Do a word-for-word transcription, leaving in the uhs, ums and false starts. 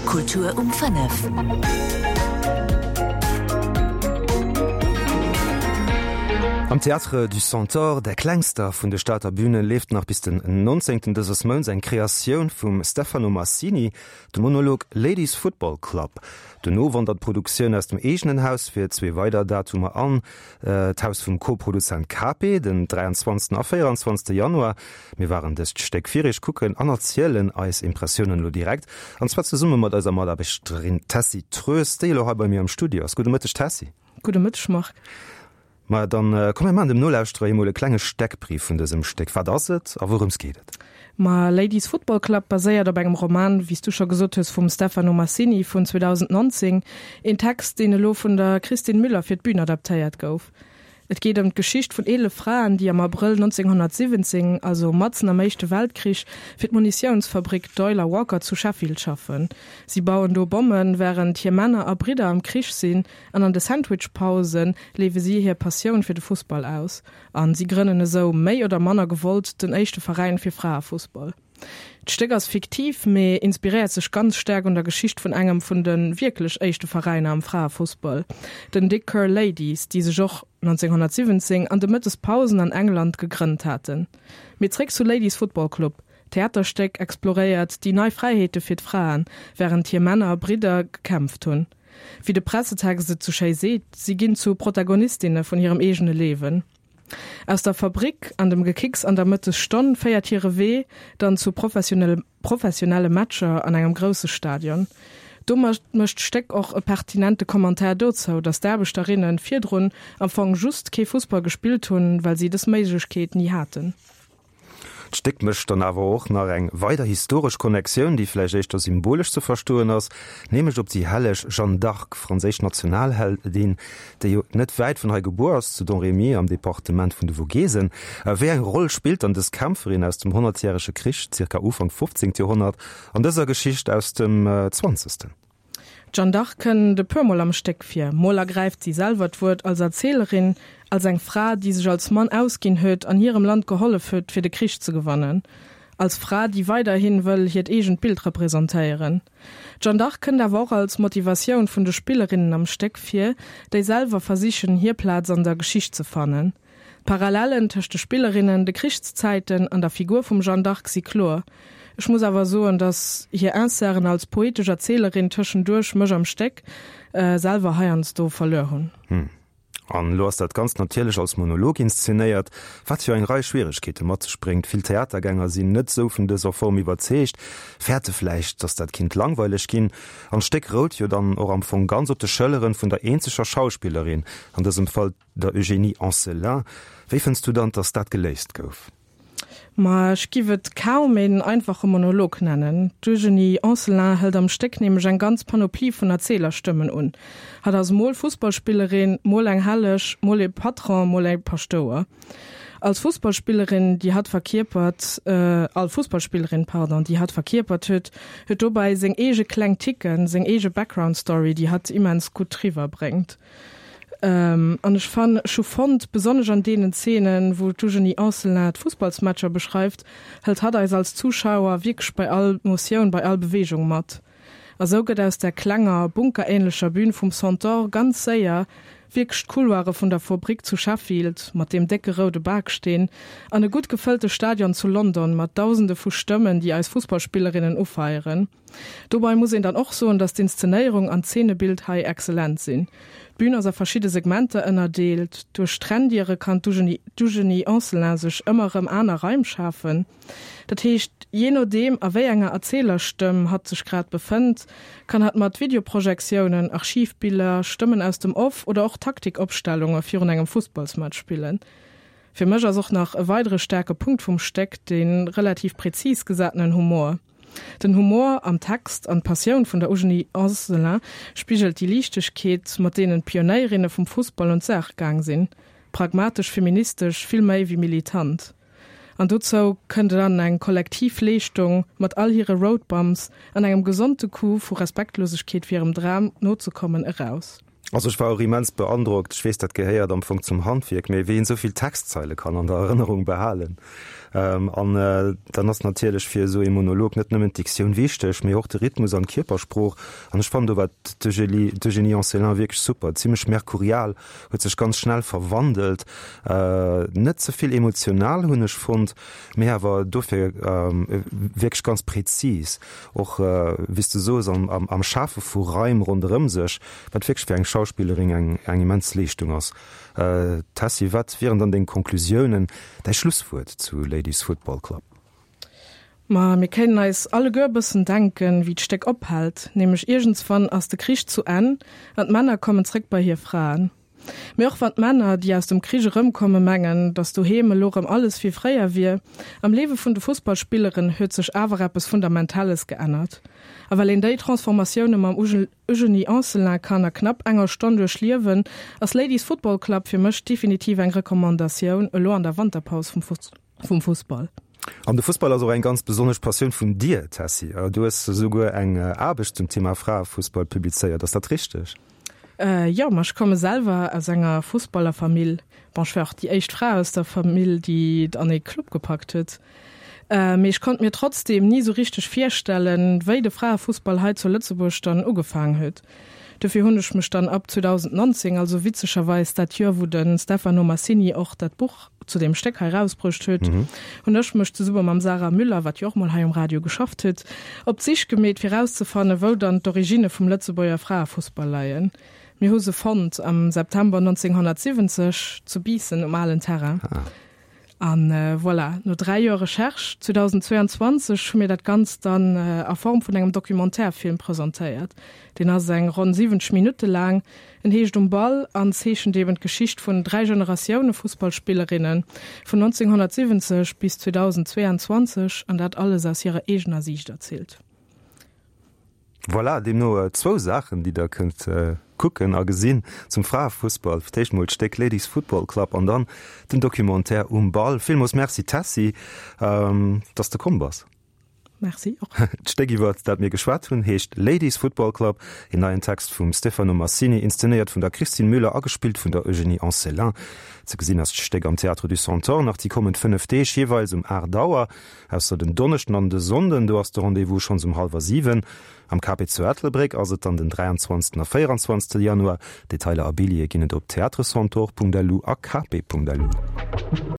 Kultur um fënnef. Am Théâtre du Centaure, der klengster vun de Stater Bünen, leeft nach bis den nonzéngten dëses Mounts eng Kreatioun vum Stefano Massini, de Monolog Ladies Football Club. Dono wandert d'Produktioun aus dem eegenen Haus fir zwee weider Datumer an d'Haus vum Co-Produzent Cape, den dräianzwanzegsten a véieranzwanzegste Januar. Mir waren dëst Stéck fir iech kucken an erzielen eis Impressiounen elo direkt, an zwar zesumme mat eiser Mataarbechterin Tessy Troes, déi elo hei bei mir am Studio ass. Gudde Mëtteg, Tessy. Gudde Mëtteg, Marc. Ma dann komm mir maachen dem Nolauschterer emol e klenge Steckbrief vun dësem Stéck. Wat ass et a wourëms geet et? Ma Ladies Football Club baséiert op engem Roman, wéi s du scho gesot hues, vum Stefano Massini vun zweedausendnonzéng, een Text, deen elo vun der Christine Müller fir d'Bün adaptéiert gouf. Et geet ëm d'Geschicht vun eelef Fraen, déi am Abrëll nonzénghonnertsiwwenzéng, also matzen am Éischte Weltkrich, fir d'Munitiounsfabrik Doyle a Walker zu Sheffield schaffen. Si bauen do Bommen, wärend hir Männer a Bridder am Krich sinn, an an de Sandwichpause liewe si hir Passioun fir de Fussball aus. A si grënnen esou, méi oder manner gewollt, den éischte Veräin fir Fraefussball. D'Stéck ass fiktiv, mee inspiréiert sech ganz staark un der Geschicht vun engem vun de wierklech éischte Veräiner am Fraefussball, den Dick Kerr Ladies, déi sech och nonzénghonnertsiwwenzéng an de Mëttespausen an England gegrënnt haten. Mee zréck zu Ladies Football Club, D'Theaterstéck exploréiert déi nei Fräiheete fir d'Fraen, wärend hir Männer a Bridder gekämpft hunn. Wéi de Pressetext et sou schéi seet, si ginn zu Protagonistinne vun hirem eegene Liewen. Aus der Fabrik an dem Gekicks an der Mëttesstonn féiert hire Wee dann zu professionelle Matcher an engem grousse Stadion. Domat mécht d'Stéck och e pertinente Commentaire dozou, datt d'Aarbechterinne virdrun am Fong just kee Fussball gespillt hunn, well si dës Méiglechkeet ni haten. D'Stéck mécht dann awer och nach eng weider historesch Connectioun, déi vläicht éischter symbolesch ze verstoen ass, nämlech op déi helleg Jeanne d'Arc, franséisch Nationalheldin, déi jo net wäit vun hei gebuer ass, zu Domrémy am Departement vun de Vogesen. Wéi eng Roll spillt dann dës Kämpferin aus dem Honnertjärege Krich, zirka Ufank fofzéngt Joerhonnert, an dëser Geschicht aus dem zwanzegsten? D'Jeanne d'Arc kënnt e puer Mol am Stéck vir. Mol ergräift si selwer d'Wuert als Erzielerin, als eng Fra, déi sech als Mann ausginn huet an hirem Land gehollef huet, fir de Krich ze gewannen. Als Fra, déi weiderhi wëll hiert eegent Bild representéieren. D'Jeanne d'Arc kënnt awer och als Motivatioun vun de Spillerinnen am Stéck vir, déi selwer versichen, hir Plaz an der Geschicht ze fannen. D'Parallellen tëscht de Spillerinnen, de Krichszäiten an der Figur vum Jeanne d'Arc si kloer. Ech muss awer soen, dass hir Inserten als poetesch Erzielerin tëschenduerch mech am Stéck selwer heiansdo verluer hunn. Hm. An elo ass dat Ganzt natierlech als Monolog inszenéiert, wat jo eng Rei Schwieregkeete mat sech bréngt. Vill Theatergänger sinn net esou vun dëser Form iwwerzeegt, fäerte vläicht, dass dat kinnt langweileg ginn. An d'Stéck rout jo dann och am Fong ganz op de Schëlleren vun der eenzeger Schauspillerin, an dësem Fall der Eugénie Anselin. Wéi fënns du dann, dass dat geléist gouf? Ma ech giff et kaum een einfache Monolog nennen. D'Eugénie Anselin hëlt am Stéck nämlech eng ganz Panoplie vun Erzählerstëmmen un. Hatt ass mol Fussballspillerin, mol eng Helleg, mol ee Patron, mol ee Paschtouer. Als Fussballspillerin, déi hatt verkierpert, all Fussballspillerin, pardon, déi hatt verkierpert huet, huet dobäi seng eege kleng Ticken, seng eege Background-Story, déi hatt immens gutt riwwerbréngt. An ech fann, ech hu fonnt, besonnesch an deenen Zeenen, wou d'Eugénie Anselin d'Fussballsmatcher beschreift, hëlt hatt eis als Zuschauer wierklech bei all Motioun, bei all Beweegung mat. A sou gëtt aus der klenger, bunkerähnlecher Bühn vum Centaure ganz séier wierklech d'Couloire vun der Fabrik zu Sheffield mat deem décke roude Baksteen an e gutt gefëllte Stadion zu London mat Dausende vu Stëmmen, déi eis Fussballspillerinnen ufeieren. Dobei muss een dann och soen, dass d'Inszenéierung an d'Zeenebild hei exzellent sinn. D'Bün ass a verschidde Segmenter ënnerdeelt, duerch Trenndiere kann d'Eugénie Anselin sech ëmmer erëm aner Raim schafen. Dat heescht, jee nodeem a wéi enger Erzählerstëmm hatt sech grad befënnt, kann hatt mat Videoprojektiounen, Archivbiller, Stëmmen aus dem Off oder och Taktikopstellunge virun engem Fussballsmatch spillen. Fir mech ass och nach e weidere staarke Punkt vum Stéck de relativ präzis gesatenen Humor. Den Humor am Text an d'Passioun vun der Eugénie Anselin spigelt déi Liichtegkeet, mat deenen d'Pionéierinne vum Fussball un d'Saach gaang sinn, pragmatesch feministesch vill méi wéi militant. An dozou kënnt dann eng kollektiv Leeschtung mat all hire Roadbumps an engem gesonde Coup vu Respektlosegkeet fir hirem Dram nozekommen eraus. Also ech war och immens beandrockt, ech weess dat gehéiert am Fong zum Handwierk, mee wéi een esou vill Textzeile kann an der Erënnerung behalen. An dann ass natierlech fir esou ee Monolog net nëmmen d'Diktioun wichteg, mee och de Rhythmus an d'Kierpersprooch. An ech fannen do war d'Eugénie Anselin wierklech super, zimmlech merkurial, huet sech ganz schnell verwandelt, net ze vill emotional hunn ech fonnt, mee awer dofir wierklech ganz präzis, och wéi s de soos am Schafe vu Raim ronderëm sech, wat wierklech fir eng Schauspillerin eng eng immens Leeschtung ass. Tessy, wat wieren dann deng Conclusiounen, däi Schlusswuert zu Ladies Football Club? Ma mir kéinten eis alleguer e bëssen denken, wéi d'Stéck ophält, nämlech iergendswann ass de Krich zu Enn an d'Männer kommen zréck bei hir Fraen. Mee och wann d'Männer, déi aus dem Krich erëmkommen, mengen, datt doheem elo erëm alles wéi fréier wier, am Liewe vun de Fussballspilleren huet sech awer eppes Fundamentales geännert. A well een déi Transformatioune mam Eugenie Anselin kann a knapp enger Stonn duerchliewen, ass Ladies Football Club fir mech definitiv eng Recommandatioun elo an der Wanterpaus vum Fussball. An de Fussball ass och eng ganz besonnesch Passioun vun dir, Tessy. Du hues esouguer eng Aarbecht zum Thema Fraefussball publizéiert, ass dat richteg? Jo, ma ech komme selwer aus enger Fussballerfamill. Bon, ech war och déi éischt Fra aus der Famill, déi et an ee Club gepackt huet. Mee ech konnt mir trotzdeem ni sou richteg virstellen, wéi de Fraefussball hei zu Lëtzebuerg dann ugefaangen huet. Dofir hunn ech mech dann ab zweedausendnonzéng, also witzegerweis dat Joer, wou de Stefano Massini och dat Buch zu deem Stéck hei erausbruecht huet, hunn ech mech zesumme mam Sarah Müller, wat jo och mol hei um Radio geschafft huet, op d'Sich gemeet, fir erauszefannen, wou dann d'Originne vum Lëtzebuerger Fraefussball leien. Mir hu se fonnt am September neunzehnhundertsiwwenzeg zu Biissen um alen Terrain. An voilà, no dräi Joer Recherche, zweedausendzweianzwanzeg, hu mir dat Ganzt dann a Form vun engem Documentaire-Film presentéiert. Deen ass eng ronn siwwenzeg Minutte laang. En heescht Um Ball an zeechent eben d'Geschicht vun dräi Generatioune Fussballspillerinne vun neunzehnhundertsiwwenzeg bis zweedausendzweianzwanzeg, an dat alles aus hirer eegener Siicht erzielt. Voilà, deemno zwou Saachen, déi der kënnt kucken a gesinn zum Fraefussball. Fir d'éischt mol d'Stéck Ladies Football Club an dann den Documentaire Um Ball. Villmools Merci Tessy, dass de komm bass. Merci och. D'Stéck iwwert dat mir geschwat hunn heescht Ladies Football Club, een neien Text vum Stefano Massini, inszenéiert vun der Christine Müller a gespillt vun der Eugénie Anselin. Ze gesinn ass d'Stéck am Théâtre du Centaure nach déi kommend fënnef Deeg, jeeweils um aacht Auer, ausser den Donneschden an de Sonnden, do ass de Rendez-vous schonns um hallwer siwen. Am Cape zu Ettelbréck ass et dann den dräianzwanzegsten a véieranzwanzegste Januar. Detailer a Billjeeë ginn et op theatrecentaure.lu a cape.lu.